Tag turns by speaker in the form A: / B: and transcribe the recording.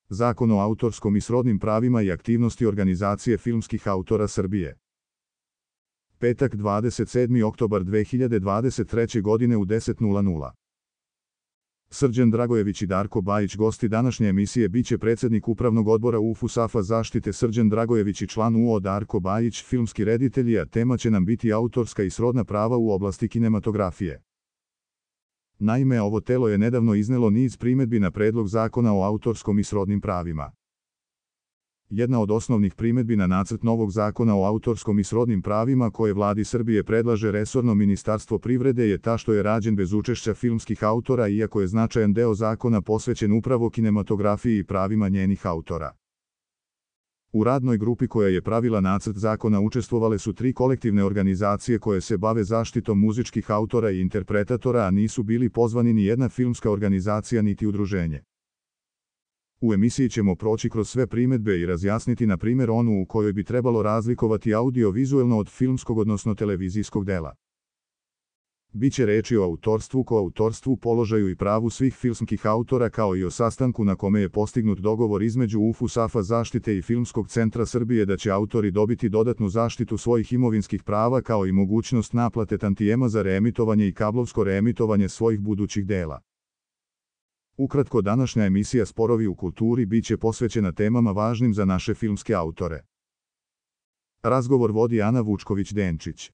A: Zakon o autorskom i srodnim pravima i aktivnosti Organizacije filmskih autora Srbije. Petak 27. oktobar 2023. godine u 10:00. Srđan Dragojević i Darko Bajić gosti današnje emisije biće predsjednik Upravnog odbora UFUSAF-a zaštite Srđan Dragojević i član UO Darko Bajić, filmski reditelji, a tema će nam biti autorska i srodna prava u oblasti kinematografije. Naime, ovo telo je nedavno iznelo niz primjedbi na predlog zakona o autorskom i srodnim pravima. Jedna od osnovnih primjedbi na nacrt novog zakona o autorskom i srodnim pravima koje Vladi Srbije predlaže resorno Ministarstvo privrede je ta što je rađen bez učešća filmskih autora, iako je značajan deo zakona posvećen upravo kinematografiji i pravima njenih autora. U radnoj grupi koja je pravila nacrt zakona učestvovale su 3 kolektivne organizacije koje se bave zaštitom muzičkih autora i interpretatora, a nisu bili pozvani ni jedna filmska organizacija niti udruženje. U emisiji ćemo proći kroz sve primjedbe i razjasniti na primjer onu u kojoj bi trebalo razlikovati audio-vizuelno od filmskog odnosno televizijskog dela. Biće reči o autorstvu, koautorstvu, položaju i pravu svih filmskih autora kao i o sastanku na kome je postignut dogovor između UFUSAF-a zaštite i Filmskog centra Srbije da će autori dobiti dodatnu zaštitu svojih imovinskih prava kao i mogućnost naplate tantijema za reemitovanje i kablovsko reemitovanje svojih budućih dela. Ukratko, današnja emisija Sporovi u kulturi biće posvećena temama važnim za naše filmske autore. Razgovor vodi Ana Vučković-Denčić.